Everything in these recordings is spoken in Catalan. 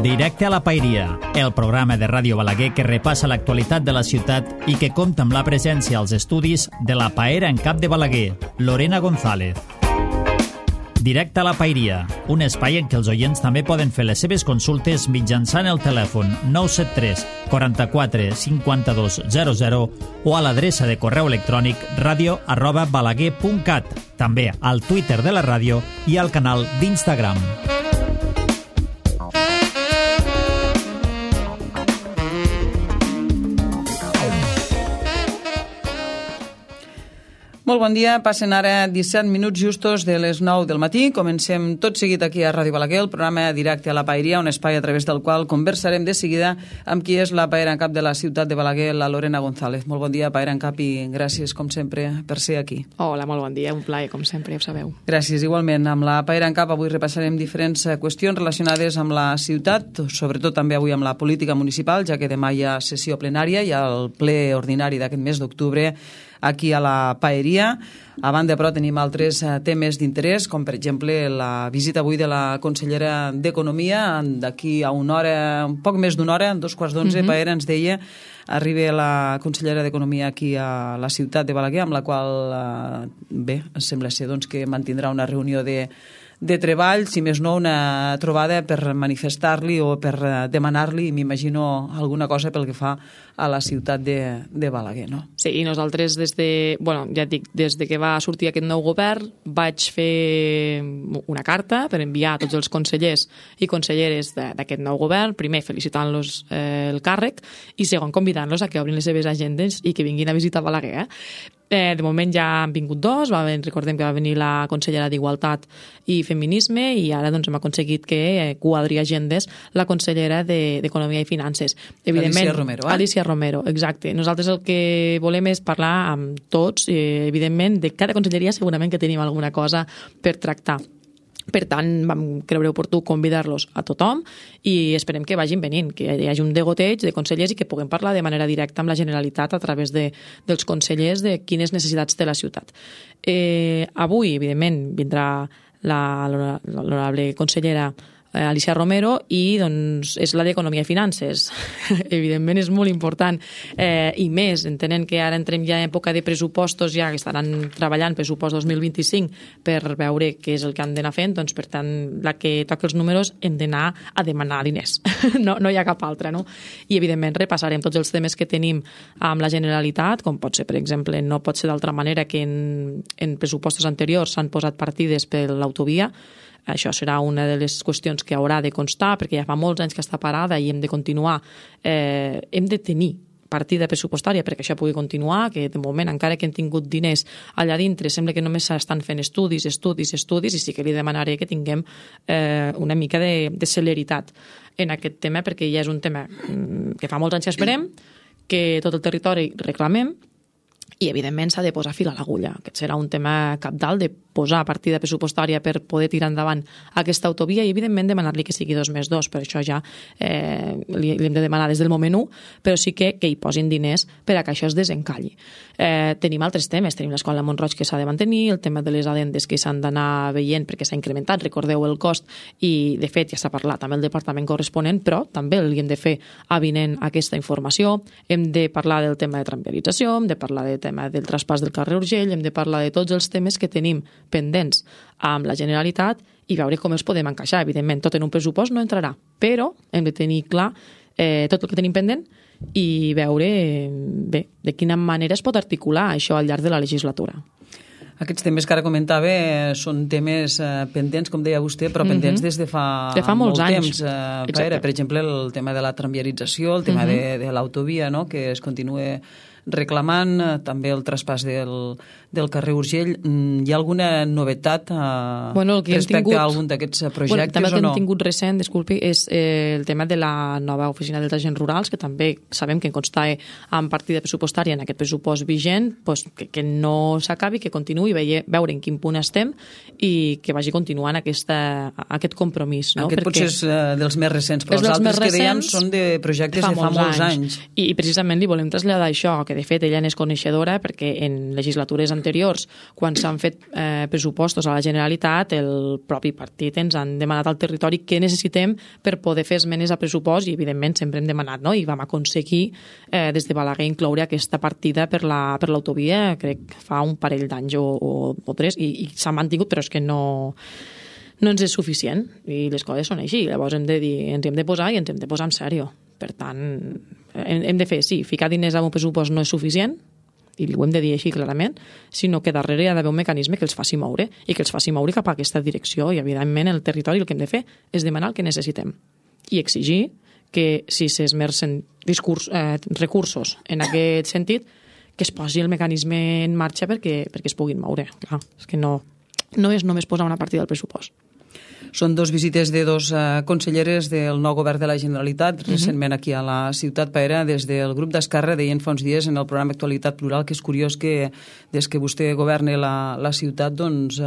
Directe a la Paeria, el programa de Ràdio Balaguer que repassa l'actualitat de la ciutat i que compta amb la presència als estudis de la paera en cap de Balaguer, Lorena González. Directe a la Paeria, un espai en què els oients també poden fer les seves consultes mitjançant el telèfon 973 44 52 00 o a l'adreça de correu electrònic radio@balaguer.cat, també al Twitter de la ràdio i al canal d'Instagram. Molt bon dia, passen ara 17 minuts justos de les 9 del matí. Comencem tot seguit aquí a Ràdio Balaguer, el programa Directe a la Paeria, un espai a través del qual conversarem de seguida amb qui és la paera en cap de la ciutat de Balaguer, la Lorena González. Molt bon dia, paera en cap, i gràcies, com sempre, per ser aquí. Hola, molt bon dia, un plaer, com sempre, ja ho sabeu. Gràcies, igualment. Amb la paera en cap avui repassarem diferents qüestions relacionades amb la ciutat, sobretot també avui amb la política municipal, ja que demà hi ha sessió plenària i el ple ordinari d'aquest mes d'octubre aquí a la Paeria. A banda, però, tenim altres temes d'interès, com per exemple la visita avui de la consellera d'Economia. D'aquí a una hora, un poc més d'una hora, en 2:15, Paera ens deia, arriba la consellera d'Economia aquí a la ciutat de Balaguer, amb la qual, bé, sembla ser doncs, que mantindrà una reunió de treball, si més no una trobada per manifestar-li o per demanar-li, m'imagino, alguna cosa pel que fa a la ciutat de Balaguer, no? Sí, i nosaltres des de que va sortir aquest nou govern vaig fer una carta per enviar a tots els consellers i conselleres d'aquest nou govern, primer felicitant-los el càrrec i segon convidant-los a que obrin les seves agendes i que vinguin a visitar Balaguer. De moment ja han vingut dos, recordem que va venir la consellera d'Igualtat i Feminisme i ara doncs, hem aconseguit que quadri agendes la consellera d'Economia i Finances. Alicia Romero. Alicia Romero, exacte. Nosaltres el que volem és parlar amb tots, evidentment, de cada conselleria segurament que tenim alguna cosa per tractar. Per tant, vam creure oportú convidar-los a tothom i esperem que vagin venint, que hi hagi un degoteig de consellers i que puguem parlar de manera directa amb la Generalitat a través dels consellers de quines necessitats té la ciutat. Avui, evidentment, vindrà l'honorable consellera Alicia Romero i doncs, és la d'Economia i Finances. Evidentment és molt important i més, entenent que ara entrem ja en època de pressupostos, ja que estaran treballant pressupost 2025 per veure què és el que han d'anar fent, doncs per tant, la que toca els números hem d'anar a demanar diners. No hi ha cap altra, no? I evidentment repassarem tots els temes que tenim amb la Generalitat, com pot ser, per exemple, no pot ser d'altra manera que en pressupostos anteriors s'han posat partides per l'autovia. Això serà una de les qüestions que haurà de constar, perquè ja fa molts anys que està parada i hem de continuar, hem de tenir partida pressupostària perquè això pugui continuar, que de moment, encara que hem tingut diners allà dintre, sembla que només s'estan fent estudis, i sí que li demanaré que tinguem una mica de celeritat en aquest tema, perquè ja és un tema que fa molts anys que esperem, que tot el territori reclamem, i, evidentment, s'ha de posar fil a l'agulla. Aquest serà un tema cabdal de posar partida pressupostària per poder tirar endavant aquesta autovia i, evidentment, demanar-li que sigui 2+2. Per això ja li hem de demanar des del moment 1, però sí que hi posin diners per a que això es desencalli. Tenim altres temes. Tenim l'escola de Mont-roig que s'ha de mantenir, el tema de les adendes que s'han d'anar veient perquè s'ha incrementat, recordeu el cost, i, de fet, ja s'ha parlat amb el departament corresponent, però també li hem de fer avinent aquesta informació. Hem de parlar del tema de tramviarització, hem de parlar del tema del traspàs del carrer Urgell, hem de parlar de tots els temes que tenim pendents amb la Generalitat i veure com els podem encaixar. Evidentment, tot en un pressupost no entrarà, però hem de tenir clar tot el que tenim pendent i veure bé de quina manera es pot articular això al llarg de la legislatura. Aquests temes que ara comentava són temes pendents, com deia vostè, però pendents des de fa molts anys. Per exemple, el tema de la tramviarització, el tema de l'autovia, no?, que es continua reclamant, també el traspàs del carrer Urgell. Hi ha alguna novetat respecte a algun d'aquests projectes també o no? El que hem tingut recent, disculpi, és el tema de la nova oficina dels agents rurals, que també sabem que consta en partida pressupostària en aquest pressupost vigent, que no s'acabi, que continuï, veure en quin punt estem i que vagi continuant aquest compromís. Aquest potser és dels més recents, però els altres que dèiem són de projectes de fa molts anys. I precisament li volem traslladar això, que que de fet ella n'és coneixedora perquè en legislatures anteriors, quan s'han fet pressupostos a la Generalitat, el propi partit ens han demanat al territori què necessitem per poder fer esmenes a pressupost i evidentment sempre hem demanat, no? I vam aconseguir des de Balaguer incloure aquesta partida per l'autovia, crec que fa un parell d'anys o tres, i s'ha mantingut, però és que no ens és suficient i les coses són així. Llavors hem de dir, ens hem de posar i ens hem de posar en sèrio. Per tant, hem de fer, sí, ficar diners en un pressupost no és suficient, i ho hem de dir així clarament, sinó que darrere hi ha d'haver un mecanisme que els faci moure i que els faci moure cap a aquesta direcció, i evidentment el territori el que hem de fer és demanar el que necessitem i exigir que si s'esmercen recursos en aquest sentit, que es posi el mecanisme en marxa perquè es puguin moure. Clar, és que no és només posar una partida al pressupost. Són dos visites de dos conselleres del nou govern de la Generalitat, recentment aquí a la ciutat Paera. Des del grup d'Esquerra deien fa uns dies en el programa Actualitat Plural que és curiós que des que vostè governa la ciutat, doncs,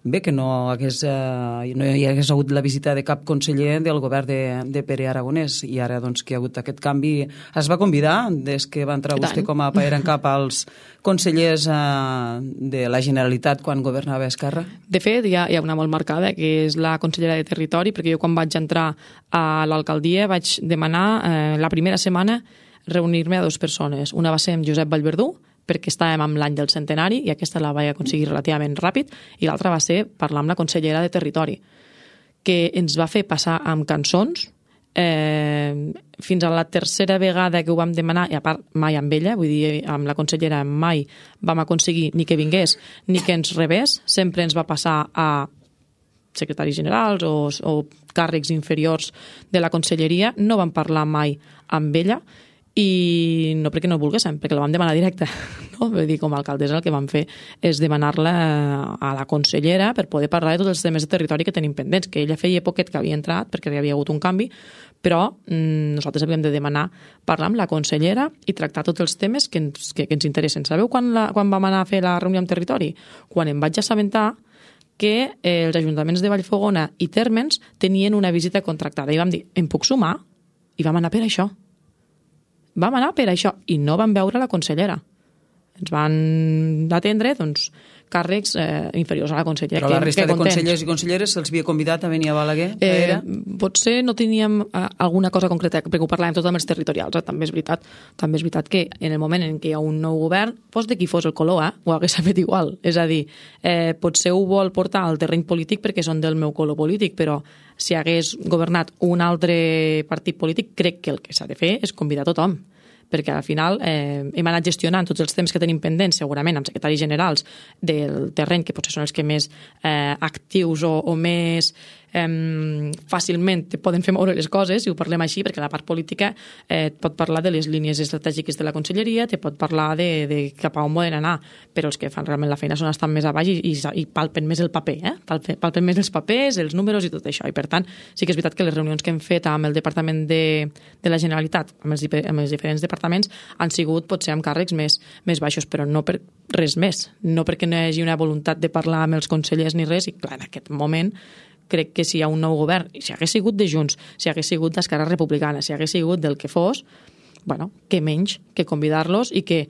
bé, que no hi hagués hagut la visita de cap conseller del govern de Pere Aragonès, i ara doncs, que hi ha hagut aquest canvi. Es va convidar, des que va entrar vostè com a Paera en cap, als consellers de la Generalitat quan governava Esquerra? De fet, hi ha una molt marcada, que és la consellera de Territori, perquè jo quan vaig entrar a l'alcaldia vaig demanar la primera setmana reunir-me a dues persones. Una va ser amb Josep Vallverdú, perquè estàvem amb l'any del centenari i aquesta la vaig aconseguir relativament ràpid, i l'altra va ser parlar amb la consellera de Territori, que ens va fer passar amb cançons fins a la tercera vegada que ho vam demanar, i a part mai amb ella, vull dir, amb la consellera mai vam aconseguir ni que vingués ni que ens rebés, sempre ens va passar a secretaris generals o càrrecs inferiors de la conselleria, no vam parlar mai amb ella, i no perquè no volguéssim, perquè la vam demanar directa, no? Vull dir, com a alcaldessa el que vam fer és demanar-la a la consellera per poder parlar de tots els temes de territori que tenim pendents, que ella feia poquet que havia entrat perquè hi havia hagut un canvi, però nosaltres havíem de demanar parlar amb la consellera i tractar tots els temes que ens interessen. Sabeu quan vam anar a fer la reunió amb territori? Quan em vaig assabentar que els ajuntaments de Vallfogona i Térmens tenien una visita contractada, i vam dir, em puc sumar? I vam anar per això. Vam anar per això i no vam veure la consellera. Ens van atendre, doncs, càrrecs inferiors a la consellera. Però la resta de consellers i conselleres se'ls havia convidat a venir a Balaguer? Potser no teníem alguna cosa concreta, perquè ho parlàvem tot amb els territorials. També és veritat que en el moment en què hi ha un nou govern, fos de qui fos el color, ho hagués fet igual. És a dir, potser ho vol portar al terreny polític perquè són del meu color polític, però si hagués governat un altre partit polític, crec que el que s'ha de fer és convidar tothom, perquè al final hem anat gestionant tots els temps que tenim pendents, segurament amb secretaris generals del terreny, que potser són els que més actius o més fàcilment poden fer moure les coses, si ho parlem així, perquè la part política et pot parlar de les línies estratègiques de la conselleria, te pot parlar de cap a on volen anar, però els que fan realment la feina són estan més a baix i palpen més el paper, palpen més els papers, els números i tot això, i per tant sí que és veritat que les reunions que hem fet amb el Departament de la Generalitat, amb els diferents departaments, han sigut potser amb càrrecs més baixos, però no per res més, no perquè no hi hagi una voluntat de parlar amb els consellers ni res, i clar, en aquest moment crec que si hi ha un nou govern, si hagués sigut de Junts, si hagués sigut d'Esquerra Republicana, si hagués sigut del que fos, bueno, què menys que convidar-los i que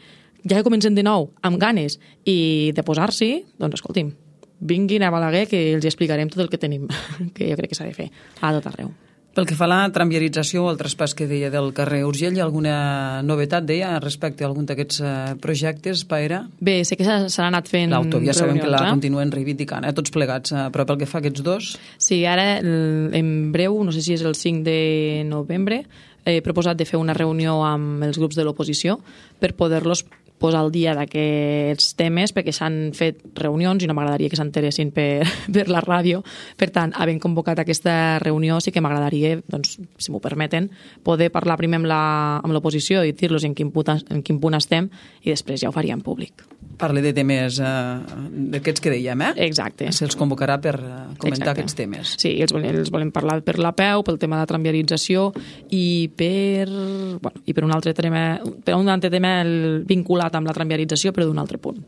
ja que comencen de nou amb ganes i de posar-s'hi, doncs escolti'm, vinguin a Balaguer que els explicarem tot el que tenim, que jo crec que s'ha de fer a tot arreu. Pel que fa a la tramviarització o el traspàs que deia del carrer Urgell, hi ha alguna novetat, deia, respecte a algun d'aquests projectes, Paera? Bé, sé que s'han anat fent l'autovia reunions, sabem que la continuen reivindicant, tots plegats, però pel que fa a aquests dos? Sí, ara en breu, no sé si és el 5 de novembre, he proposat de fer una reunió amb els grups de l'oposició per poder-los posar al dia d'aquests temes, perquè s'han fet reunions i no m'agradaria que s'enteressin per la ràdio. Per tant, havent convocat aquesta reunió, sí que m'agradaria, doncs, si m'ho permeten, poder parlar primer amb l'oposició i dir-los en quin punt estem, i després ja ho faria en públic. Parle de temes d'aquests que dèiem, Exacte. Se'ls convocarà per comentar aquests temes. Sí, els volem parlar per l'APEU, pel tema de la tramviarització i per un altre tema vinculat vinculat amb la tramviarització, però d'un altre punt.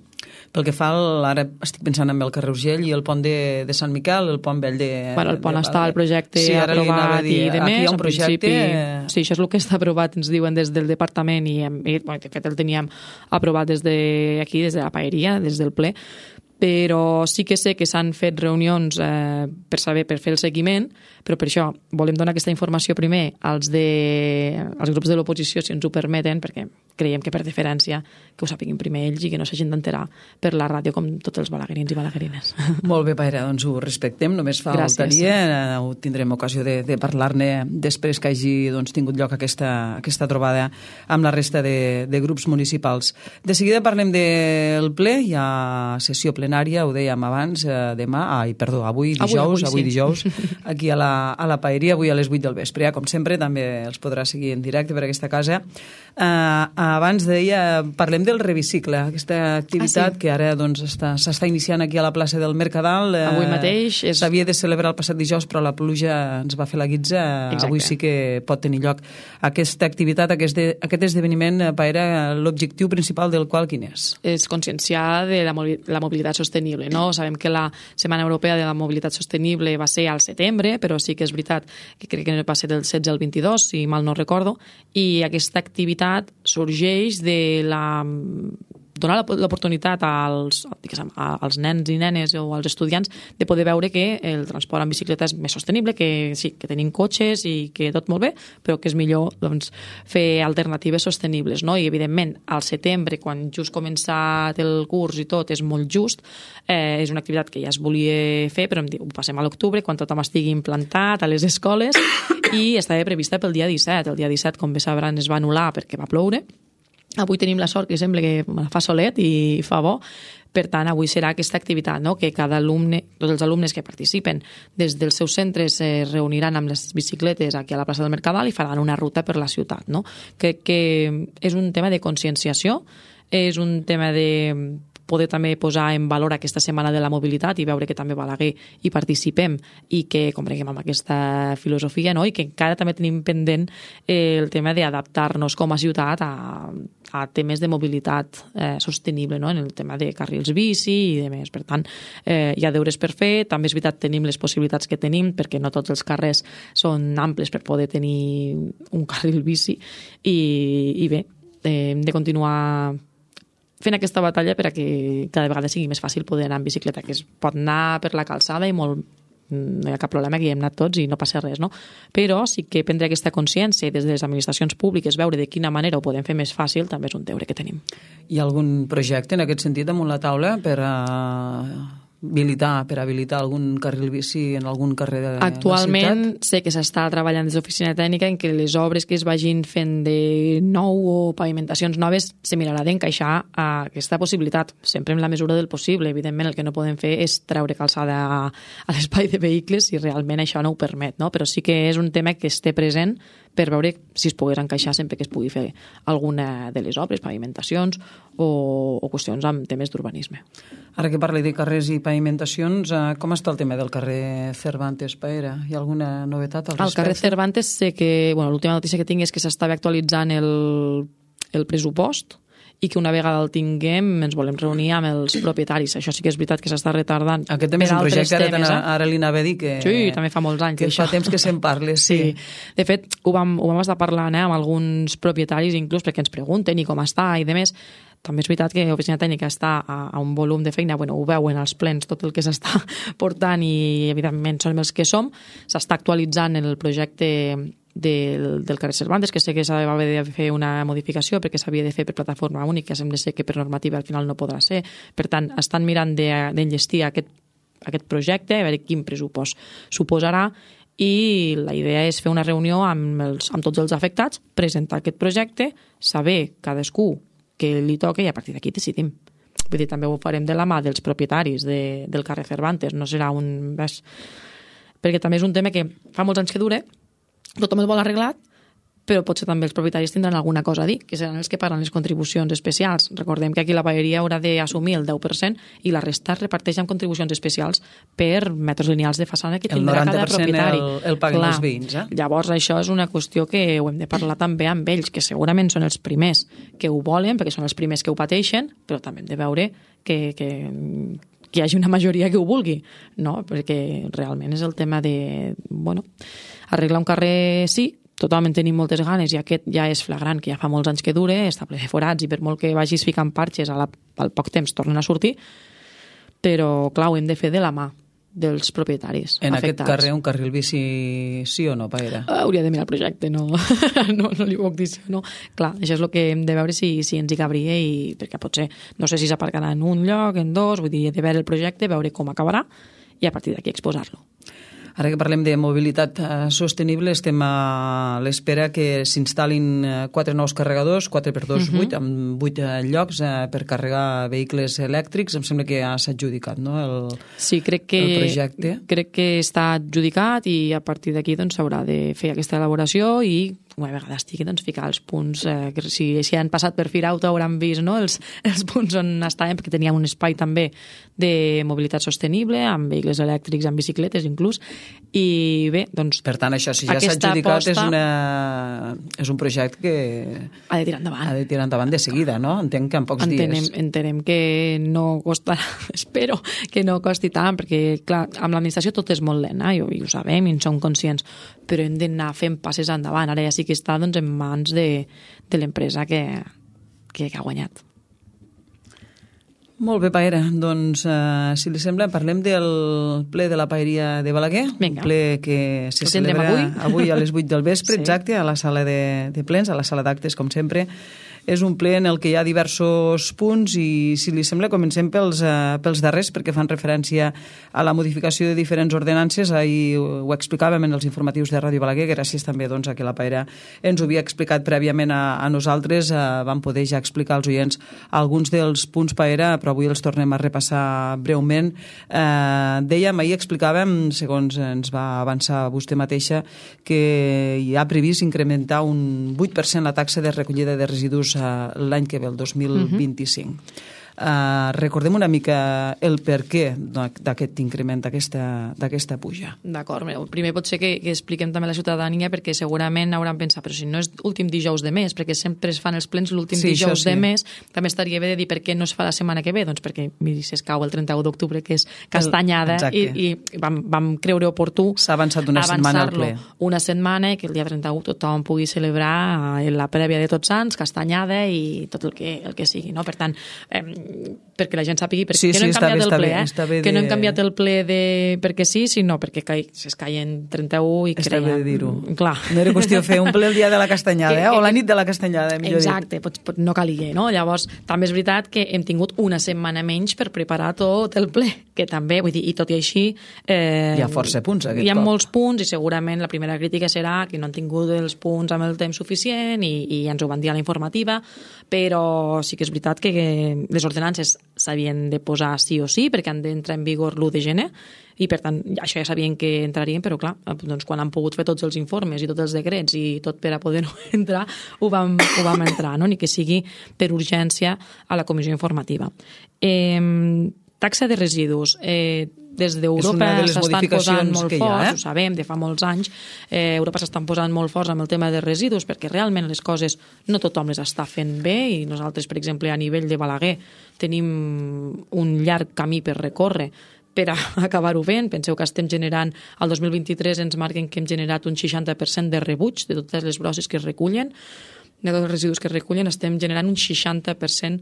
Pel que fa, ara estic pensant en el carrer Urgell i el pont de Sant Miquel, el pont vell de... Bueno, el pont està, el projecte aprovat i de més. Aquí hi ha un projecte... Sí, això és el que està aprovat, ens diuen des del departament i de fet el teníem aprovat des de la paeria, des del ple, però sí que sé que s'han fet reunions per fer el seguiment, però per això volem donar aquesta informació primer als grups de l'oposició, si ens ho permeten, perquè creiem que per deferència que ho sàpiguin primer ells i que no s'hagin d'enterar per la ràdio com tots els balaguerins i balaguerines. Molt bé, Paera, doncs ho respectem, només faltaria, ho tindrem ocasió de parlar-ne després que hagi tingut lloc aquesta trobada amb la resta de grups municipals. De seguida parlem del ple, hi ha sessió plenària, ho dèiem abans, avui dijous, aquí a la Paeria, avui a les 8 del vespre. Com sempre, també els podrà seguir en directe per aquesta casa. Abans deia, parlem del Revicicle, aquesta activitat que ara s'està iniciant aquí a la plaça del Mercadal. Avui mateix. S'havia de celebrar el passat dijous, però la pluja ens va fer la guitza. Exacte. Avui sí que pot tenir lloc aquesta activitat, aquest esdeveniment. Paera, l'objectiu principal del qual quin és? És conscienciar de la mobilitat sostenible, no? Sabem que la Setmana Europea de la Mobilitat Sostenible va ser al setembre, però sí que és veritat que crec que va ser del 16 al 22, si mal no recordo, i aquesta activitat sorgeix de donar l'oportunitat als nens i nenes o als estudiants de poder veure que el transport en bicicleta és més sostenible, que sí, que tenim cotxes i que tot molt bé, però que és millor fer alternatives sostenibles, no? I evidentment al setembre, quan just començat el curs i tot, és molt just, és una activitat que ja es volia fer, però ho passem a l'octubre, quan tothom estigui implantat a les escoles, i estava prevista pel dia 17. El dia 17, com bé sabran, es va anul·lar perquè va ploure. Avui tenim la sort que sembla que fa solet i fa bo, per tant, avui serà aquesta activitat, no? Que cada alumne, tots els alumnes que participen des dels seus centres es reuniran amb les bicicletes aquí a la plaça del Mercadal i faran una ruta per la ciutat, no? Crec que és un tema de conscienciació, és un tema de poder també posar en valor aquesta setmana de la mobilitat i veure que també a Balaguer hi participem i que combreguem amb aquesta filosofia, no? I que encara també tenim pendent el tema d'adaptar-nos com a ciutat a temes de mobilitat sostenible, no? En el tema de carrils bici i de més. Per tant, hi ha deures per fer. També és veritat, tenim les possibilitats que tenim perquè no tots els carrers són amples per poder tenir un carril bici i bé, hem de continuar fent aquesta batalla per a que cada vegada sigui més fàcil poder anar en bicicleta, que es pot anar per la calçada i no hi ha cap problema, que hi hem anat tots i no passa res, no? Però sí que prendre aquesta consciència des de les administracions públiques, veure de quina manera ho podem fer més fàcil, també és un deure que tenim. Hi ha algun projecte en aquest sentit damunt la taula per habilitar algun carril bici en algun carrer de la ciutat? Actualment sé que s'està treballant des d'oficina tècnica en què les obres que es vagin fent de nou o pavimentacions noves se mirarà d'encaixar a aquesta possibilitat, sempre en la mesura del possible. Evidentment, el que no podem fer és treure calçada a l'espai de vehicles si realment això no ho permet, no? Però sí que és un tema que esté present per veure si es pogués encaixar sempre que es pugui fer alguna de les obres, pavimentacions o qüestions amb temes d'urbanisme. Ara que parli de carrers i pavimentacions, com està el tema del carrer Cervantes, Paera? Hi ha alguna novetat al respecte? Al carrer Cervantes sé que, l'última notícia que tinc és que s'estava actualitzant el pressupost i que una vegada el tinguem ens volem reunir amb els propietaris. Això sí que és veritat que s'està retardant. Aquest també és un projecte, ara li anava a dir que... Sí, també fa molts anys. Que fa temps que se'n parla, sí. De fet, ho vam estar parlant amb alguns propietaris, inclús perquè ens pregunten i com està i demés. També és veritat que l'oficina tècnica està a un volum de feina, ho veuen als plens tot el que s'està portant i evidentment som els que som. S'està actualitzant el projecte del carrer Cervantes, que sé que s'ha de fer una modificació perquè s'havia de fer per plataforma única, sembla ser que per normativa al final no podrà ser. Per tant, estan mirant d'enllestir aquest projecte, a veure quin pressupost suposarà, i la idea és fer una reunió amb tots els afectats, presentar aquest projecte, saber cadascú que li toca i a partir d'aquí decidim. Vull dir, també ho farem de la mà dels propietaris del carrer Cervantes, no serà un... perquè també és un tema que fa molts anys que dura, tothom el vol arreglat, però potser també els propietaris tindran alguna cosa a dir, que seran els que paguen les contribucions especials. Recordem que aquí la paeria haurà d'assumir el 10% i la resta es reparteix amb contribucions especials per metres lineals de façana que tindrà cada propietari. El paguen els veïns. Llavors això és una qüestió que ho hem de parlar també amb ells, que segurament són els primers que ho volen, perquè són els primers que ho pateixen, però també hem de veure que hi hagi una majoria que ho vulgui, no? Perquè realment és el tema de, arreglar un carrer sí, totalment tenim moltes ganes i aquest ja és flagrant, que ja fa molts anys que dure, està ple de forats i per molt que vagis ficant parxes al poc temps tornen a sortir, però clar, ho hem de fer de la mà dels propietaris en afectats. Aquest carrer un carril bici sí o no, Paera? Hauria de mirar el projecte, no li puc dir sí o no. Clar, això és el que hem de veure si ens hi cabria, i perquè potser, no sé si s'aparcarà en un lloc, en dos, vull dir, he de veure el projecte, veure com acabarà i a partir d'aquí exposar-lo. Ara que parlem de mobilitat sostenible, estem a l'espera que s'instal·lin 4 nous carregadors, 4x2, 8, amb 8 llocs per carregar vehicles elèctrics. Em sembla que ja s'ha adjudicat, no? El projecte. Crec que està adjudicat i a partir d'aquí s'haurà de fer aquesta elaboració i una vegada estigui, ficar els punts, que si han passat per Firauto hauran vist, no?, els punts on estàvem, perquè teníem un espai també de mobilitat sostenible, amb vehicles elèctrics, amb bicicletes inclús, i bé, doncs... Per tant, això, si ja s'ha adjudicat, és un projecte que... Ha de tirar endavant. Ha de tirar endavant de seguida, no? Entenc que en pocs dies. Entenem que no costarà, espero que no costi tant, perquè, clar, amb l'administració tot és molt lent, i ho sabem i en som conscients, però hem d'anar fent passes endavant. Ara ja sí que està en mans de l'empresa que ha guanyat. Molt bé, Paera. Doncs, si li sembla, parlem del ple de la Paeria de Balaguer. Vinga. Un ple que se celebra avui a les 8 del vespre, sí. Exacte, a la sala de plens, a la sala d'actes, com sempre. És un ple en el que hi ha diversos punts i, si li sembla, comencem pels darrers, perquè fan referència a la modificació de diferents ordenances. Ahir ho explicàvem en els informatius de Ràdio Balaguer, gràcies també a que la Paera ens ho havia explicat prèviament a nosaltres. Vam poder ja explicar als oients alguns dels punts, Paera, però avui els tornem a repassar breument. Dèiem, ahir explicàvem, segons ens va avançar vostè mateixa, que hi ha previst incrementar un 8% la taxa de recollida de residus l'any que ve, el 2025. Recordem una mica el perquè d'aquest increment, d'aquesta puja. D'acord, primer pot ser que expliquem també a la ciutadania, perquè segurament hauran pensat, però si no és últim dijous de mes, perquè sempre es fan els plens l'últim dijous de mes, també estaria bé de dir per què no es fa la setmana que ve, doncs perquè miri, si es cau el 31 d'octubre, que és castanyada, i vam creure oportú s'ha avançat una setmana al ple. Una setmana, que el dia 31 tothom pugui celebrar la prèvia de Tots Sants, castanyada i tot el que sigui, no? Per tant, perquè la gent sàpigui perquè no hem canviat el ple, que no hem canviat el ple perquè sí, sinó perquè es caien 31 i creiem... Està bé de dir-ho. Clar. No era qüestió fer un ple el dia de la castanyada, o la nit de la castanyada, millor dit. Exacte, no calia, no? Llavors, també és veritat que hem tingut una setmana menys per preparar tot el ple, que també, vull dir, i tot i així... Hi ha força punts aquest cop. Hi ha molts punts i segurament la primera crítica serà que no han tingut els punts amb el temps suficient i ens ho van dir a la informativa, però sí que és veritat que les ordenances s'havien de posar sí o sí perquè han d'entrar en vigor l'1 de gener i per tant això ja sabien que entrarien, però clar, doncs quan han pogut fer tots els informes i tots els decrets i tot per a poder no entrar, ho vam entrar, no? Ni que sigui per urgència a la comissió informativa. Taxa de residus. Des d'Europa s'estan posant molt forts, ho sabem, de fa molts anys, Europa s'estan posant molt forts amb el tema de residus perquè realment les coses no tothom les està fent bé i nosaltres, per exemple, a nivell de Balaguer tenim un llarg camí per recórrer per acabar-ho fent. Penseu que estem generant, el 2023 ens marquen que hem generat un 60% de rebuig de totes les brosses que es recullen, de tots els residus que es recullen, estem generant un 60%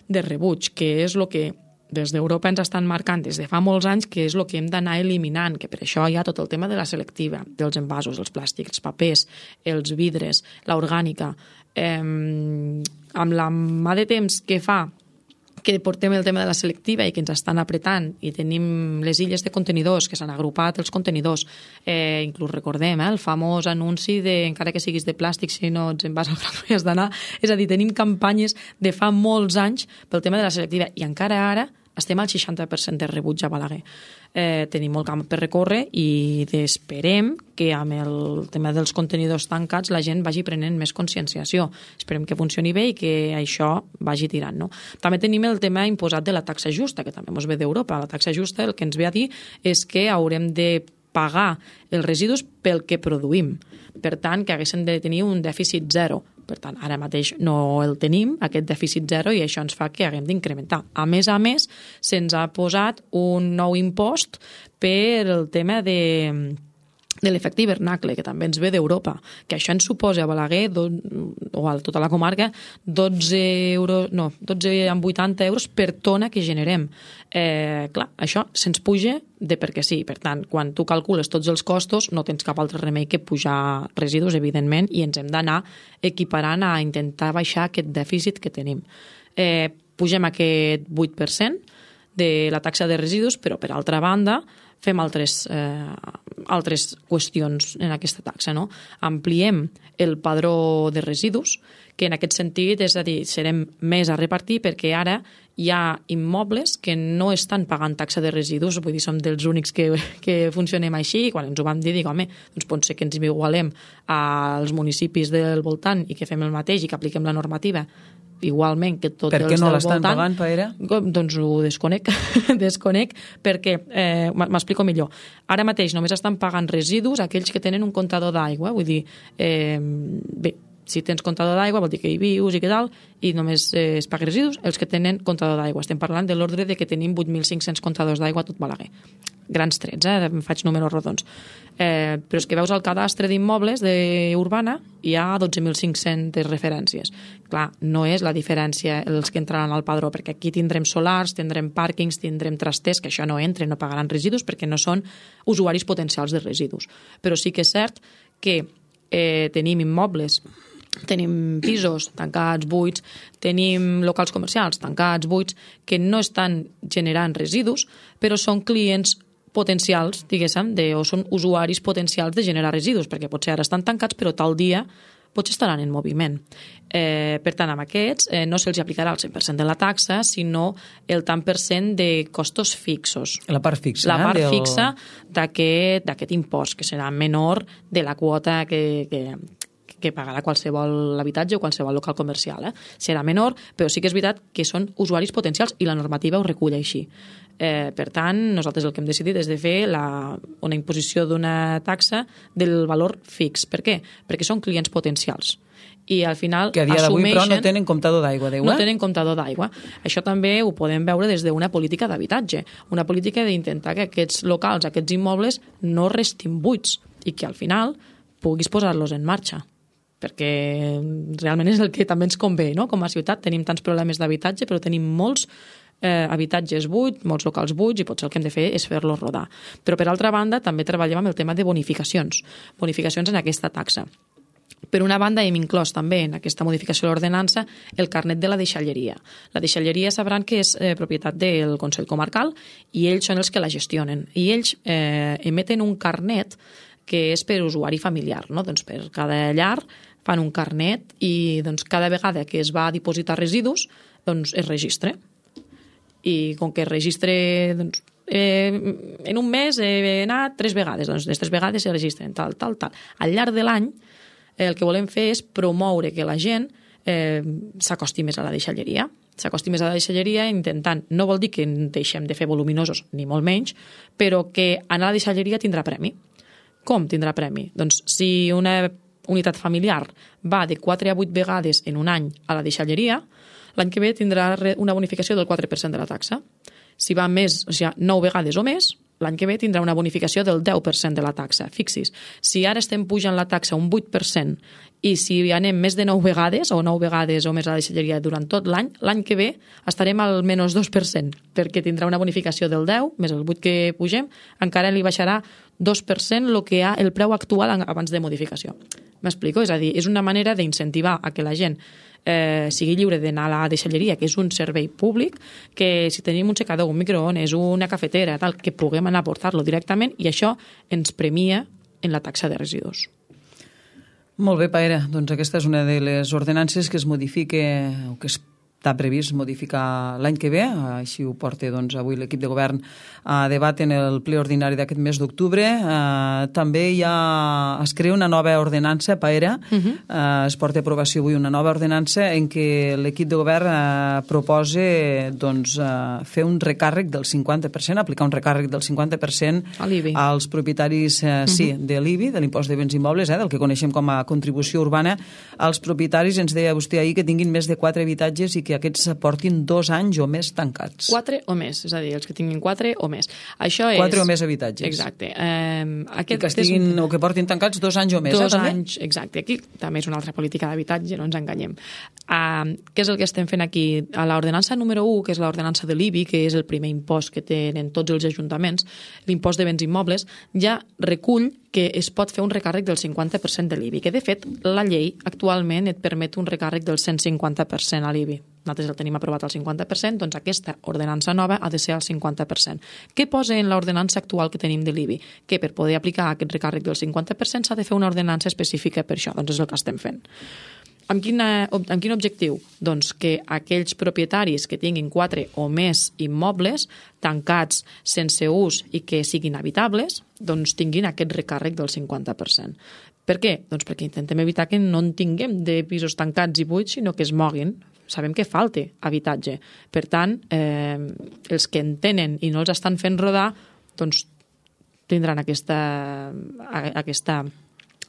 de rebuig, que és el que des d'Europa ens estan marcant des de fa molts anys que és el que hem d'anar eliminant, que per això hi ha tot el tema de la selectiva, dels envasos, els plàstics, els papers, els vidres, l'orgànica. Amb la mà de temps que fa que portem el tema de la selectiva i que ens estan apretant i tenim les illes de contenidors, que s'han agrupat els contenidors, inclús recordem el famós anunci de encara que siguis de plàstic, si no ets en vas al gran no hi has d'anar. És a dir, tenim campanyes de fa molts anys pel tema de la selectiva i encara ara estem al 60% de rebuig a Balaguer. Tenim molt camp per recórrer i esperem que amb el tema dels contenidors tancats la gent vagi prenent més conscienciació. Esperem que funcioni bé i que això vagi tirant. No? També tenim el tema imposat de la taxa justa, que també ens ve d'Europa. La taxa justa el que ens ve a dir és que haurem de pagar els residus pel que produïm. Per tant, que haguéssim de tenir un dèficit zero. Per tant, ara mateix no el tenim, aquest dèficit zero, i això ens fa que haguem d'incrementar. A més, se'ns ha posat un nou impost per el tema de l'efecte hivernacle, que també ens ve d'Europa, que això ens suposa a Balaguer, o a tota la comarca, 12,80 euros per tona que generem. Clar, això se'ns puja de perquè sí. Per tant, quan tu calcules tots els costos, no tens cap altre remei que pujar residus, evidentment, i ens hem d'anar equiparant a intentar baixar aquest dèficit que tenim. Pugem aquest 8% de la taxa de residus, però per altra banda fem altres qüestions en aquesta taxa. No? Ampliem el padró de residus, que en aquest sentit, és a dir, serem més a repartir perquè ara hi ha immobles que no estan pagant taxa de residus, vull dir, som dels únics que funcionem així, i quan ens ho vam dir, dic, home, doncs pot ser que ens igualem als municipis del voltant i que fem el mateix i que apliquem la normativa igualment que tots els del voltant. Per què no l'estan pagant, Paera? Doncs ho desconec, perquè, m'explico millor, ara mateix només estan pagant residus aquells que tenen un comptador d'aigua, vull dir, bé, si tens comptador d'aigua vol dir que hi vius i que tal, i només es paguen residus els que tenen comptador d'aigua. Estem parlant de l'ordre de que tenim 8.500 comptadors d'aigua a tot Balaguer. Grans trets, em faig números rodons. Però és que veus al cadastre d'immobles urbana hi ha 12.500 referències. Clar, no és la diferència els que entraran al padró, perquè aquí tindrem solars, tindrem pàrquings, tindrem trasters, que això no entra, no pagaran residus perquè no són usuaris potencials de residus. Però sí que és cert que tenim immobles, tenim pisos tancats, buits, tenim locals comercials tancats, buits, que no estan generant residus, però són clients potencials, diguéssim, o són usuaris potencials de generar residus, perquè potser ara estan tancats, però tal dia potser estaran en moviment. Per tant, amb aquests no se'ls aplicarà el 100% de la taxa, sinó el tant per cent de costos fixos. La part fixa. La part fixa d'aquest impost, que serà menor de la quota que pagarà qualsevol habitatge o qualsevol local comercial. Serà menor, però sí que és veritat que són usuaris potencials i la normativa ho recull així. Per tant, nosaltres el que hem decidit és de fer una imposició d'una taxa del valor fix. Per què? Perquè són clients potencials. I al final que a dia d'avui però no tenen comptador d'aigua. No tenen comptador d'aigua. Això també ho podem veure des d'una política d'habitatge, una política d'intentar que aquests locals, aquests immobles no restin buits i que al final puguis posar-los en marxa, perquè realment és el que també ens convé, no? Com a ciutat tenim tants problemes d'habitatge, però tenim molts habitatges buits, molts locals buits, i potser el que hem de fer és fer-los rodar. Però per altra banda també treballem amb el tema de bonificacions en aquesta taxa. Per una banda, hem inclòs també en aquesta modificació de l'ordenança el carnet de la deixalleria. La deixalleria sabran que és propietat del Consell Comarcal i ells són els que la gestionen. I ells emeten un carnet que és per usuari familiar, no? Doncs per cada llar fan un carnet i doncs, cada vegada que es va a dipositar residus doncs, es registra. I com que es registra doncs, en un mes he anat 3 vegades, doncs les 3 vegades se registren, tal. Al llarg de l'any el que volem fer és promoure que la gent s'acosti més a la deixalleria. S'acosti més a la deixalleria intentant, no vol dir que deixem de fer voluminosos, ni molt menys, però que anar a la deixalleria tindrà premi. Com tindrà premi? Doncs si una unitat familiar va de 4 a 8 vegades en un any a la deixalleria, l'any que ve tindrà una bonificació del 4% de la taxa. Si va més, o sigui, 9 vegades o més, l'any que ve tindrà una bonificació del 10% de la taxa. Fixis, si ara estem pujant la taxa un 8% i si anem més de 9 vegades o 9 vegades o més a la deixalleria durant tot l'any, l'any que ve estarem al menys 2%, perquè tindrà una bonificació del 10 més el 8 que pugem, encara li baixarà 2% el preu actual abans de modificació. M'explico? És a dir, és una manera d'incentivar a que la gent sigui lliure d'anar a la deixalleria, que és un servei públic, que si tenim un secador, un microones, una cafetera, tal, que puguem anar a portar-lo directament i això ens premia en la taxa de residus. Molt bé, Paera. Doncs aquesta és una de les ordenances que es modifica o que es està previst modificar l'any que ve, així ho porta avui l'equip de govern a debat en el ple ordinari d'aquest mes d'octubre. També es crea una nova ordenança, Paera, es porta a aprovació avui una nova ordenança en què l'equip de govern proposa fer un recàrrec del 50%, aplicar un recàrrec del 50% als propietaris de l'IBI, de l'impost de béns immobles, del que coneixem com a contribució urbana, als propietaris, ens deia vostè ahir, que tinguin més de 4 habitatges i que aquests portin 2 anys o més tancats. 4 o més, és a dir, els que tinguin 4 o més. Això és... 4 o més habitatges. Exacte. I que estiguin, o que portin tancats 2 anys o més. 2 anys, exacte. Aquí també és una altra política d'habitatge, no ens enganyem. Què és el que estem fent aquí? A l'ordenança número 1, que és l'ordenança de l'IBI, que és el primer impost que tenen tots els ajuntaments, l'impost de béns immobles, ja recull que es pot fer un recàrrec del 50% de l'IBI, que de fet la llei actualment et permet un recàrrec del 150% a l'IBI. Nosaltres el tenim aprovat al 50%, doncs aquesta ordenança nova ha de ser al 50%. Què posa en l'ordenança actual que tenim de l'IBI? Que per poder aplicar aquest recàrrec del 50% s'ha de fer una ordenança específica per això, doncs és el que estem fent. Amb quin objectiu? Doncs que aquells propietaris que tinguin 4 o més immobles tancats sense ús i que siguin habitables, doncs tinguin aquest recàrrec del 50%. Per què? Doncs perquè intentem evitar que no en tinguem de pisos tancats i buits, sinó que es moguin. Sabem que falta habitatge. Per tant, els que en tenen i no els estan fent rodar, doncs tindran aquest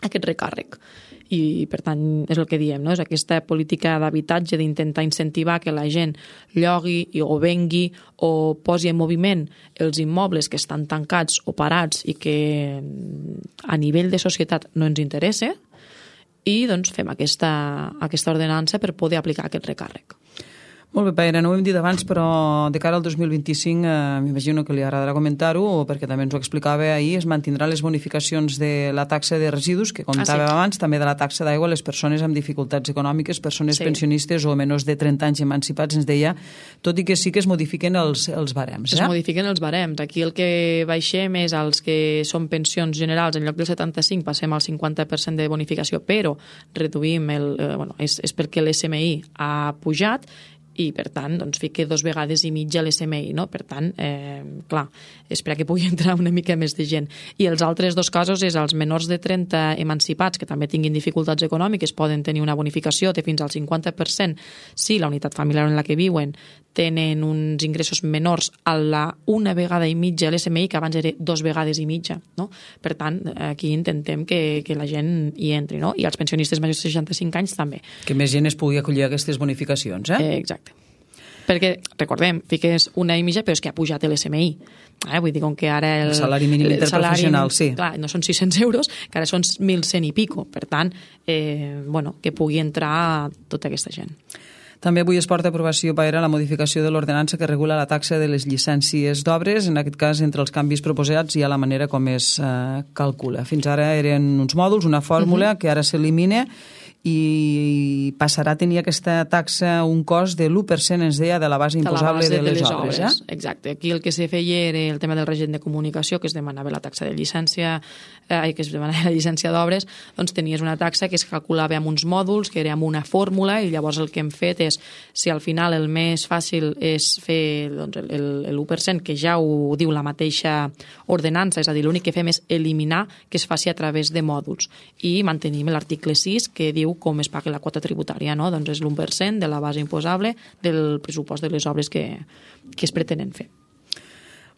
recàrrec. I, per tant, és el que diem, no? És aquesta política d'habitatge d'intentar incentivar que la gent llogui o vengui o posi en moviment els immobles que estan tancats o parats i que a nivell de societat no ens interessa, i doncs fem aquesta ordenança per poder aplicar aquest recàrrec. Molt bé, Paera, no ho hem dit abans, però de cara al 2025 m'imagino que li agradarà comentar-ho, perquè també ens ho explicava ahir, es mantindran les bonificacions de la taxa de residus, que comentàvem abans, també de la taxa d'aigua a les persones amb dificultats econòmiques, persones pensionistes o menors de 30 anys emancipats, ens deia, tot i que sí que es modifiquen els barems. Es modifiquen els barems. Aquí el que baixem és els que són pensions generals, en lloc del 75 passem al 50% de bonificació, però reduïm és perquè l'SMI ha pujat i, per tant, doncs, fica 2 vegades i mitja l'SMI, no? Per tant, clar, espera que pugui entrar una mica més de gent. I els altres 2 casos és els menors de 30 emancipats que també tinguin dificultats econòmiques poden tenir una bonificació de fins al 50% si la unitat familiar en la que viuen tenen uns ingressos menors a la 1 vegada i mitja l'SMI, que abans era 2 vegades i mitja, no? Per tant, aquí intentem que la gent hi entri, no? I els pensionistes majors de 65 anys també. Que més gent es pugui acollir a aquestes bonificacions, Exacte. Perquè, recordem, fiques 1 i mitja, però és que ha pujat l'SMI. Vull dir, com que ara el salari mínim interprofessional, sí. Clar, no són 600 euros, que ara són 1.100 i pico. Per tant, que pugui entrar tota aquesta gent. També avui es porta a aprovació, Paera, la modificació de l'ordenança que regula la taxa de les llicències d'obres. En aquest cas, entre els canvis proposats hi ha la manera com es calcula. Fins ara eren uns mòduls, una fórmula que ara s'elimina i passarà a tenir aquesta taxa un cost de l'1%, ens deia, de la base imposable de les obres. Exacte. Aquí el que se feia era el tema del règim de comunicació, que es demanava la taxa de llicència, que es demanava la llicència d'obres, doncs tenies una taxa que es calculava amb uns mòduls, que era amb una fórmula, i llavors el que hem fet és, si al final el més fàcil és fer l'1%, que ja ho diu la mateixa ordenança, és a dir, l'únic que fem és eliminar que es faci a través de mòduls, i mantenim l'article 6, que diu com es paga la quota tributària, no? Doncs és l'1% de la base imposable del pressupost de les obres que es pretenen fer.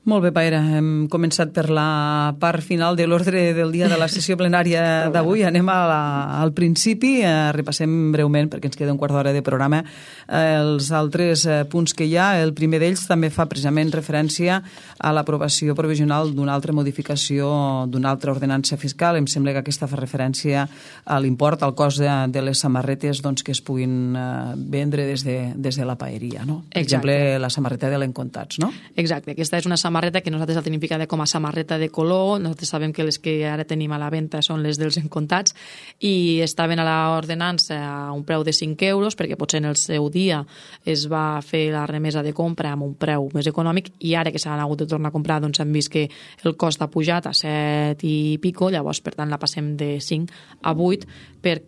Molt bé, Paera, hem començat per la part final de l'ordre del dia de la sessió plenària d'avui. Anem al principi, repassem breument, perquè ens queda un quart d'hora de programa, els altres punts que hi ha. El primer d'ells també fa precisament referència a l'aprovació provisional d'una altra modificació d'una altra ordenança fiscal. Em sembla que aquesta fa referència a l'import, al cost de les samarretes que es puguin vendre des de la paeria, no? Per exemple, la samarreta de l'Encontats, no? Exacte, aquesta és una samarreta que nosaltres la tenim ficada com a samarreta de color. Nosaltres sabem que les que ara tenim a la venda són les dels Encontats i estaven a l'ordenança a un preu de 5 euros, perquè potser en el seu dia es va fer la remesa de compra amb un preu més econòmic, i ara que s'han hagut de tornar a comprar doncs han vist que el cost ha pujat a 7 i pico, llavors per tant la passem de 5 a 8 per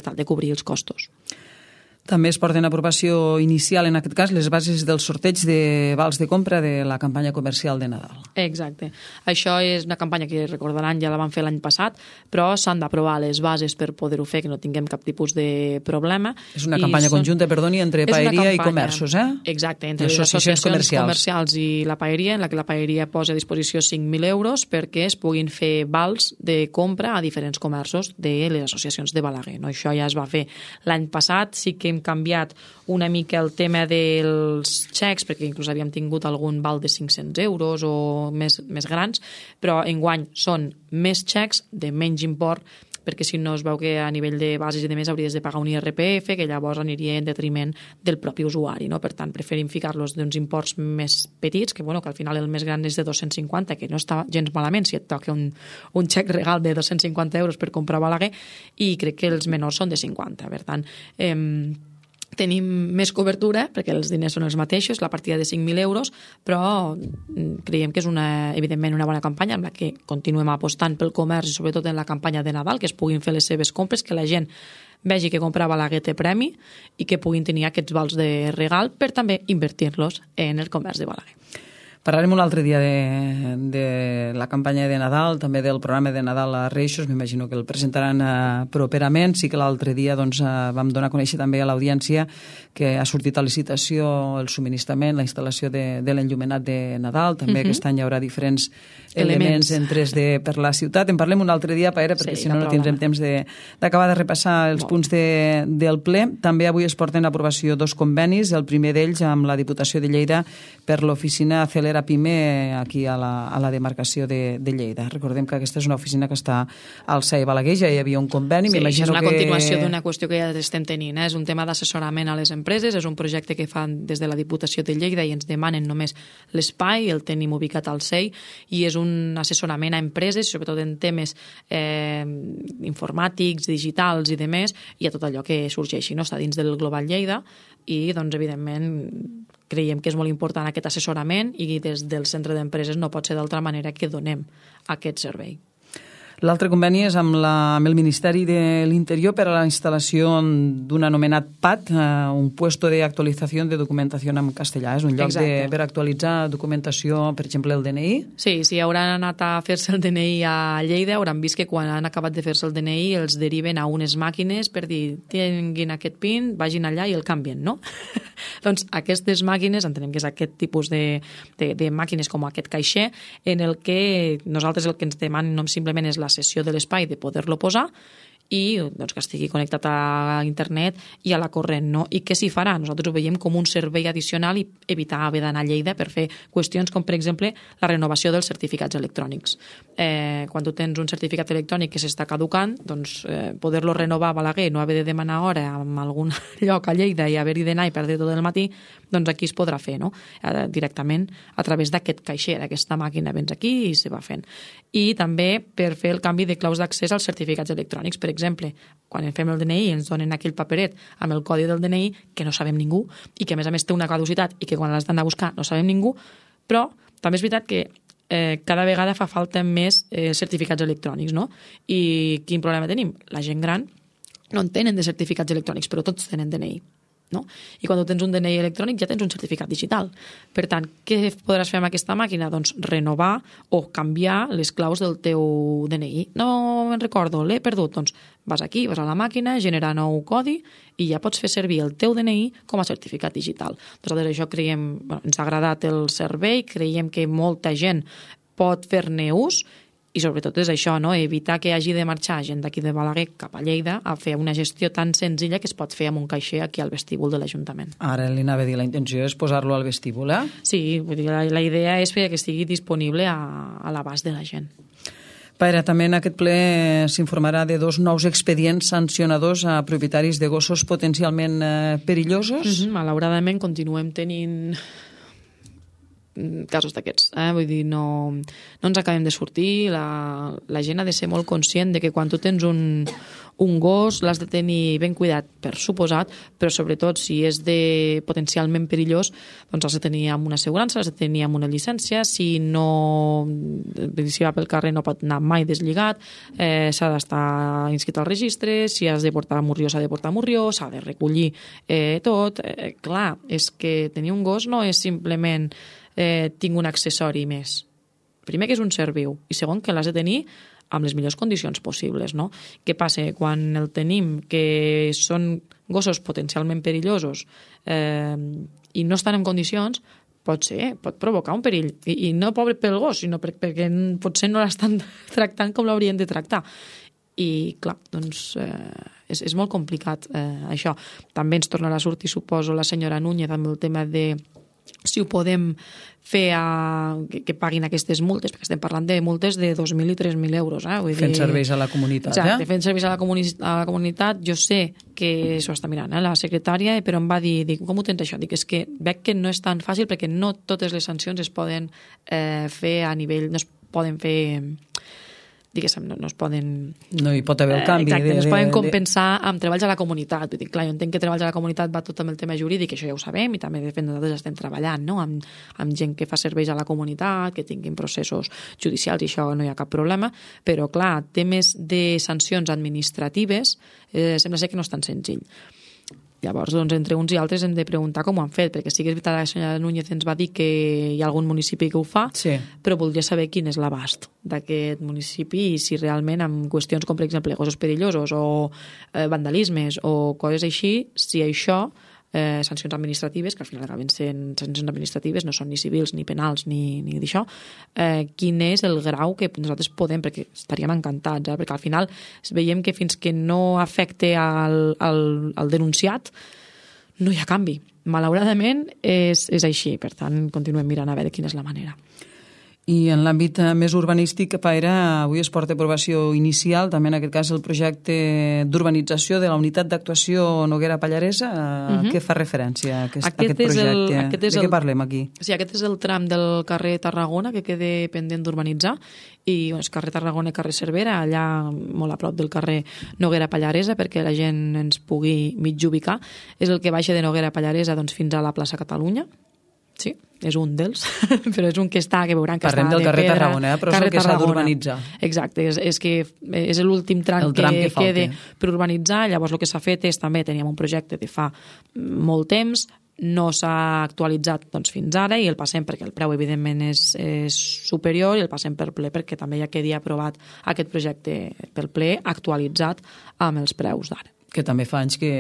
tal de cobrir els costos. També es porten a aprovació inicial, en aquest cas, les bases del sorteig de vals de compra de la campanya comercial de Nadal. Exacte. Això és una campanya que recordaran ja la van fer l'any passat, però s'han d'aprovar les bases per poder-ho fer, que no tinguem cap tipus de problema. És una campanya conjunta, perdoni, entre paeria i comerços, eh? Exacte, entre les associacions comercials i la paeria, en la que la paeria posa a disposició 5.000 euros perquè es puguin fer vals de compra a diferents comerços de les associacions de Balaguer. No? Això ja es va fer l'any passat, sí que hem canviat una mica el tema dels xecs, perquè inclús havíem tingut algun val de 500 euros o més grans, però enguany són més xecs de menys import, perquè si no es veu que a nivell de bases i de més hauries de pagar un IRPF, que llavors aniria en detriment del propi usuari. No? Per tant, preferim ficar-los d'uns imports més petits, que, que al final el més gran és de 250, que no està gens malament si et toca un xec regal de 250 euros per comprar Balaguer, i crec que els menors són de 50. Per tant, tenim més cobertura, perquè els diners són els mateixos, la partida de 5.000 euros, però creiem que és evidentment una bona campanya amb la que continuem apostant pel comerç i sobretot en la campanya de Nadal, que es puguin fer les seves compres, que la gent vegi que comprar Balaguer té premi i que puguin tenir aquests vals de regal per també invertir-los en el comerç de Balaguer. Parlarem un altre dia de la campanya de Nadal, també del programa de Nadal a Reixos, m'imagino que el presentaran properament. Sí que l'altre dia vam donar a conèixer també a l'audiència que ha sortit a licitació el subministrament, la instal·lació de l'enllumenat de Nadal, també aquest any hi haurà diferents elements en 3D per la ciutat. En parlem un altre dia, Paera, perquè si no tindrem temps d'acabar de repassar els punts del ple. També avui es porten a aprovació 2 convenis, el primer d'ells amb la Diputació de Lleida per l'oficina Acelera Pime aquí a la demarcació de Lleida. Recordem que aquesta és una oficina que està al CAE Balaguer, ja hi havia un conveni. Sí, és una continuació d'una qüestió que ja estem tenint. És un tema d'assessorament a les empreses, és un projecte que fan des de la Diputació de Lleida i ens demanen només l'espai, el tenim ubicat al CEI, i és un assessorament a empreses, sobretot en temes informàtics, digitals i demés, i a tot allò que sorgeixi. No? Està dins del Global Lleida i, doncs, evidentment, creiem que és molt important aquest assessorament i des del centre d'empreses no pot ser d'altra manera que donem aquest servei. L'altre conveni és amb el Ministeri de l'Interior per a la instal·lació d'un anomenat PAT, un puesto de actualització de documentació en castellà. És un lloc per actualitzar documentació, per exemple, el DNI? Sí, si hauran anat a fer-se el DNI a Lleida, hauran vist que quan han acabat de fer-se el DNI els deriven a unes màquines per dir, tinguin aquest PIN, vagin allà i el canvien, no? Doncs aquestes màquines, entenem que és aquest tipus de màquines com aquest caixer, en el que nosaltres el que ens demanen no simplement és la sessió de l'espai de poder-lo posar i doncs, que estigui connectat a internet i a la corrent. No? I què s'hi farà? Nosaltres ho veiem com un servei addicional i evitar haver d'anar a Lleida per fer qüestions com, per exemple, la renovació dels certificats electrònics. Quan tu tens un certificat electrònic que s'està caducant, doncs poder-lo renovar a Balaguer, no haver de demanar hora en algun lloc a Lleida i haver-hi d'anar i perdre tot el matí, doncs aquí es podrà fer, no? Directament a través d'aquest caixer, d'aquesta màquina, vens aquí i se va fent. I també per fer el canvi de claus d'accés als certificats electrònics. Per exemple, quan fem el DNI ens donen aquell paperet amb el codi del DNI que no sabem ningú i que a més té una caducitat i que quan l'has d'anar a buscar no sabem ningú, però també és veritat que cada vegada fa falta més certificats electrònics, no? I quin problema tenim? La gent gran no en tenen de certificats electrònics, però tots tenen DNI. No? I quan tu tens un DNI electrònic ja tens un certificat digital. Per tant, què podràs fer amb aquesta màquina? Doncs renovar o canviar les claus del teu DNI. No me'n recordo, l'he perdut. Doncs vas aquí, vas a la màquina, generar nou codi i ja pots fer servir el teu DNI com a certificat digital. Nosaltres això creiem, ens ha agradat el servei, creiem que molta gent pot fer-ne ús i sobretot és això, no? Evitar que hagi de marxar gent d'aquí de Balaguer cap a Lleida a fer una gestió tan senzilla que es pot fer amb un caixer aquí al vestíbul de l'Ajuntament. Ara li anava a dir, la intenció és posar-lo al vestíbul, eh? Sí, vull dir, la idea és que estigui disponible a l'abast de la gent. Paera, també en aquest ple s'informarà de 2 nous expedients sancionadors a propietaris de gossos potencialment perillosos. Malauradament continuem tenint casos d'aquests. Vull dir, no ens acabem de sortir. La gent ha de ser molt conscient de que quan tu tens un un gos l'has de tenir ben cuidat, per suposat, però sobretot si és potencialment perillós, doncs has de tenir amb una assegurança, has de tenir amb una llicència, si va pel carrer no pot anar mai deslligat, s'ha d'estar inscrit al registre, si has de portar morrió s'ha de portar morrió, s'ha de recollir tot. Clar, és que tenir un gos no és simplement tinc un accessori més. Primer que és un ser viu i segon que l'has de tenir amb les millors condicions possibles, no? Què passa? Quan el tenim, que són gossos potencialment perillosos i no estan en condicions, pot provocar un perill. I no pobre pel gos, sinó perquè potser no l'estan tractant com l'haurien de tractar. I, clar, doncs és molt complicat això. També ens tornarà a sortir, suposo, la senyora Núñez amb el tema de si ho podem fer que paguin aquestes multes, perquè estem parlant de multes de 2.000 i 3.000 euros. Fent serveis a la comunitat. Exacte, fent serveis a la comunitat. Jo sé que s'ho està mirant, la secretària, però em va dir, com ho tens això? Dic, és que veig que no és tan fàcil perquè no totes les sancions es poden fer a nivell, no es poden fer... diguéssim, no es poden... No hi pot haver el canvi. Exacte, no es poden compensar amb treballs a la comunitat. Dic, clar, jo entenc que treballs a la comunitat va tot amb el tema jurídic, això ja ho sabem, i també de fet nosaltres estem treballant, no? amb gent que fa serveis a la comunitat, que tinguin processos judicials, i això no hi ha cap problema, però clar, temes de sancions administratives sembla ser que no és tan senzill. Llavors, doncs, entre uns i altres hem de preguntar com ho han fet, perquè sí que és veritat que la senyora Núñez ens va dir que hi ha algun municipi que ho fa, sí, però voldria saber quin és l'abast d'aquest municipi i si realment amb qüestions com, per exemple, gossos perillosos o vandalismes o coses així, si això, sancions administratives, que al final acaben sent sancions administratives, no són ni civils ni penals ni d'això, quin és el grau que nosaltres podem, perquè estaríem encantats, perquè al final veiem que fins que no afecte al denunciat no hi ha canvi. Malauradament és així, per tant continuem mirant a veure quina és la manera. I en l'àmbit més urbanístic, Paera, avui es porta a aprovació inicial, també en aquest cas el projecte d'urbanització de la unitat d'actuació Noguera Pallaresa. Què fa referència a aquest projecte? De què parlem aquí? Sí, aquest és el tram del carrer Tarragona que queda pendent d'urbanitzar, i és carrer Tarragona i carrer Cervera, allà molt a prop del carrer Noguera Pallaresa, perquè la gent ens pugui mig ubicar. És el que baixa de Noguera Pallaresa fins a la plaça Catalunya. Sí, és un dels, però és un que està, que veuran que parlem està de pedra. Parlem del carrer Tarragona, però és el que s'ha d'urbanitzar. Exacte, és que és l'últim tram que queda per urbanitzar. Llavors el que s'ha fet és, també teníem un projecte de fa molt temps, no s'ha actualitzat fins ara i el passem perquè el preu evidentment és superior, i el passem per ple perquè també ja quedi aprovat aquest projecte pel ple actualitzat amb els preus d'ara. Que també fa anys que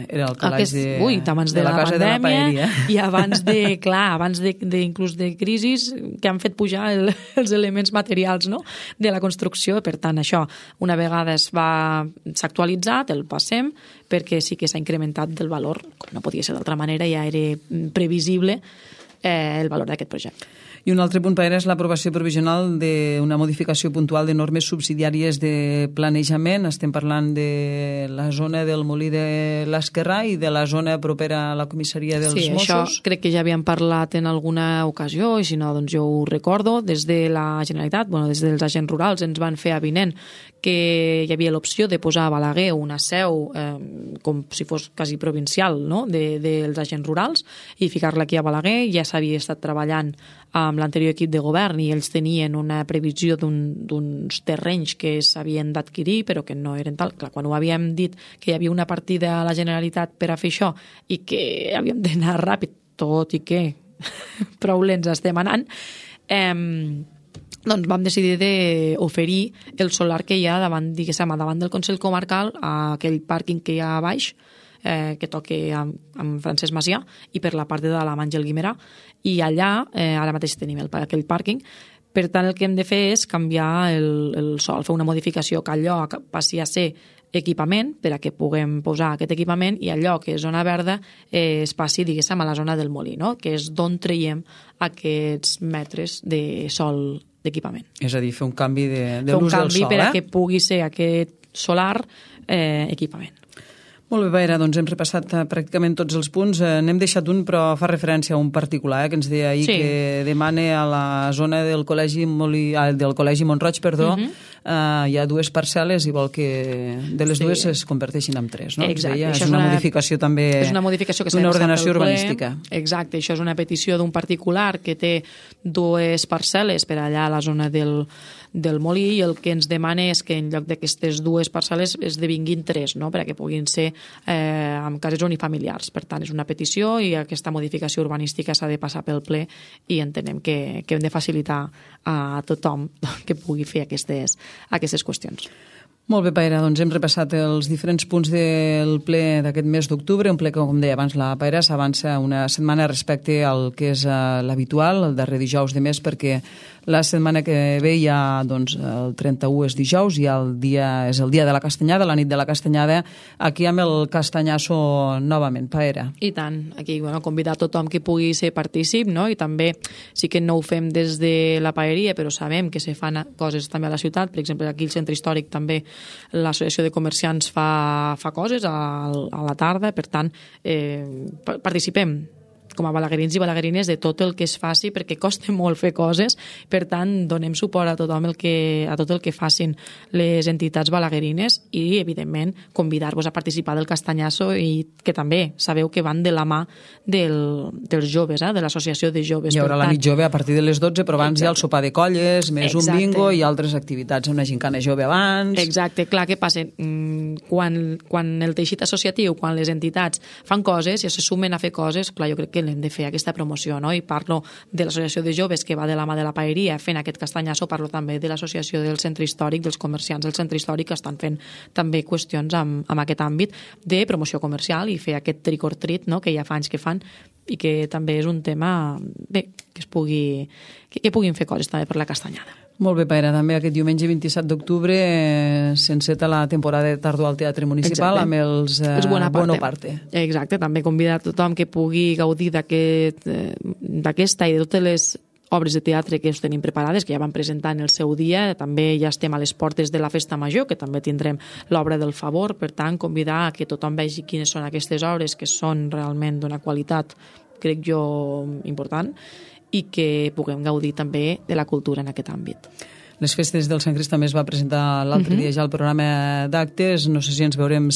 era el calaix de la casa de la paeria. I abans inclús de crisis que han fet pujar els elements materials, no?, de la construcció. Per tant, això, una vegada s'ha actualitzat, el passem, perquè sí que s'ha incrementat del valor, com no podia ser d'altra manera, ja era previsible el valor d'aquest projecte. I un altre punt, Paera, és l'aprovació provisional d'una modificació puntual de normes subsidiàries de planejament. Estem parlant de la zona del Molí de l'Esquerrà i de la zona propera a la comissaria dels Mossos. Sí, això crec que ja havíem parlat en alguna ocasió, i si no, doncs jo ho recordo. Des de la Generalitat, des dels agents rurals, ens van fer avinent que hi havia l'opció de posar a Balaguer una seu com si fos quasi provincial, no?, dels agents rurals, i ficar-la aquí a Balaguer. Ja s'havia estat treballant amb l'anterior equip de govern i ells tenien una previsió d'uns terrenys que s'havien d'adquirir però que no eren tal. Clar, quan ho havíem dit que hi havia una partida a la Generalitat per a fer això i que havíem d'anar ràpid, tot i que prou lents estem anant, doncs vam decidir d'oferir el solar que hi ha davant del Consell Comarcal, a aquell pàrquing que hi ha a baix, que toca amb Francesc Macià, i per la part de la Àngel Guimerà, i allà ara mateix tenim aquell pàrquing. Per tant, el que hem de fer és canviar el sòl, fer una modificació, que allò passi a ser equipament, per a que puguem posar aquest equipament, i allò que és zona verda es passi, diguéssim, a la zona del molí, no?, que és d'on traiem aquests metres de sòl d'equipament. És a dir, fer un canvi de l'ús del sòl. Per a que pugui ser aquest solar equipament. Molt bé, Paera, doncs hem repassat pràcticament tots els punts. N'hem deixat un, però fa referència a un particular, que ens deia ahir que demana a la zona del Col·legi Mont-roig, hi ha 2 parcel·les i vol que de les 2 es converteixin en 3, no? Exacte. És una modificació també d'una ordenació urbanística. Exacte, això és una petició d'un particular que té 2 parcel·les per allà a la zona del molí, i el que ens demana és que en lloc d'aquestes 2 parcel·les esdevinguin 3, no? Perquè puguin ser amb cases unifamiliars. Per tant, és una petició i aquesta modificació urbanística s'ha de passar pel ple i entenem que hem de facilitar a tothom que pugui fer aquestes qüestions. Molt bé, Paera, doncs hem repassat els diferents punts del ple d'aquest mes d'octubre, un ple que, com deia abans la Paera, s'avança una setmana respecte al que és l'habitual, el darrer dijous de mes, perquè la setmana que ve ja, doncs, el 31 és dijous i és el dia de la Castanyada, la nit de la Castanyada, aquí amb el castanyasso novament, Paera. I tant, aquí convidar a tothom que pugui ser partícip, no? I també sí que no ho fem des de la paeria, però sabem que se fan coses també a la ciutat, per exemple, aquí al centre històric també l'associació de comerciants fa coses a la tarda, per tant, participem com a balaguerins i balaguerines de tot el que es faci, perquè costa molt fer coses, per tant, donem suport a tot el que facin les entitats balaguerines i, evidentment, convidar-vos a participar del castanyasso i que també sabeu que van de la mà dels joves, de l'associació de joves. Hi haurà la nit jove a partir de les 12, però abans hi ha el sopar de colles, més un bingo i altres activitats, una gincana jove abans... Exacte, clar, què passa? Quan el teixit associatiu, quan les entitats fan coses i se sumen a fer coses, clar, jo crec que hem de fer aquesta promoció, no? I parlo de l'associació de joves que va de la mà de la paeria fent aquest castanyasso, parlo també de l'associació del centre històric, dels comerciants del centre històric, que estan fent també qüestions amb aquest àmbit de promoció comercial i fer aquest trick or treat, no? Que ja fa anys que fan i que també és un tema bé, que puguin fer coses també per la castanyada. Molt bé, Paera, també aquest diumenge 27 d'octubre s'enceta la temporada de tardor al Teatre Municipal. Exacte. Amb els Bonaparte. Exacte, també convidar a tothom que pugui gaudir d'aquesta i de totes les obres de teatre que us tenim preparades, que ja van presentar en el seu dia. També ja estem a les portes de la Festa Major, que també tindrem l'obra del Favor. Per tant, convidar a que tothom vegi quines són aquestes obres, que són realment d'una qualitat, crec jo, important, i que puguem gaudir també de la cultura en aquest àmbit. Les festes del Sant Crist també es va presentar l'altre dia ja el programa d'actes. No sé si ens veurem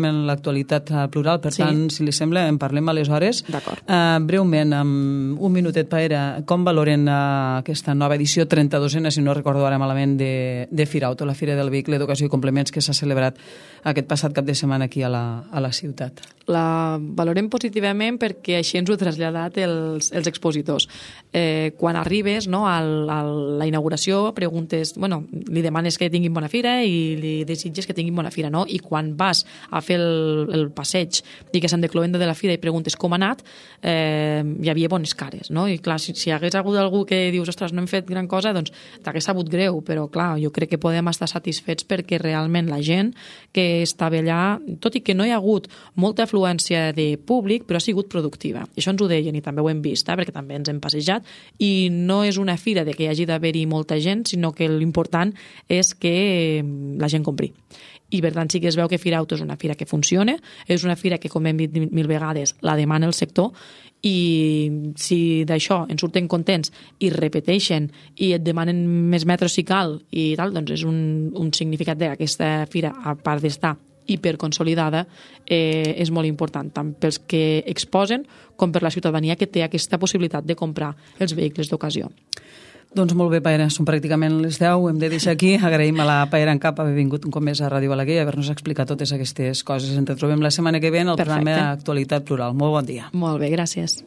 en l'actualitat plural, per tant, si li sembla, en parlem aleshores. D'acord. Breument, amb un minutet, Paera, com valoren aquesta nova edició 32a, si no recordo ara malament, de Firauto, la Fira del Vehicle d'Ocasió i Complements, que s'ha celebrat aquest passat cap de setmana aquí a la ciutat? La valorem positivament perquè així ens ho ha traslladat els expositors. Quan arribes a la inauguració, li demanes que tinguin bona fira i li desitges que tinguin bona fira, no? I quan vas a fer el passeig, diguéssim, de cloenda de la fira i preguntes com ha anat, hi havia bones cares, no? I clar, si hi hagués hagut algú que dius, ostres, no hem fet gran cosa, doncs t'hagués sabut greu, però clar, jo crec que podem estar satisfets perquè realment la gent que estava allà, tot i que no hi ha hagut molta afluència de públic, però ha sigut productiva. I això ens ho deien i també ho hem vist, perquè també ens hem passejat, i no és una fira de que hi hagi d'haver-hi molta gent, sinó que l'important és que la gent compri. I per tant sí que es veu que Firauto és una fira que funciona, és una fira que, com hem dit 1000 vegades, la demana el sector, i si d'això en surten contents i repeteixen i et demanen més metres si cal i tal, doncs és un significat d'aquesta fira, a part d'estar hiperconsolidada, és molt important, tant pels que exposen com per la ciutadania que té aquesta possibilitat de comprar els vehicles d'ocasió. Doncs molt bé, Paera, són pràcticament les 10, hem de deixar aquí. Agraïm a la Paera en Cap haver vingut un cop més a Ràdio Balaguer i haver-nos explicat totes aquestes coses. Ens trobem la setmana que ve en el programa Actualitat Plural. Molt bon dia. Molt bé, gràcies.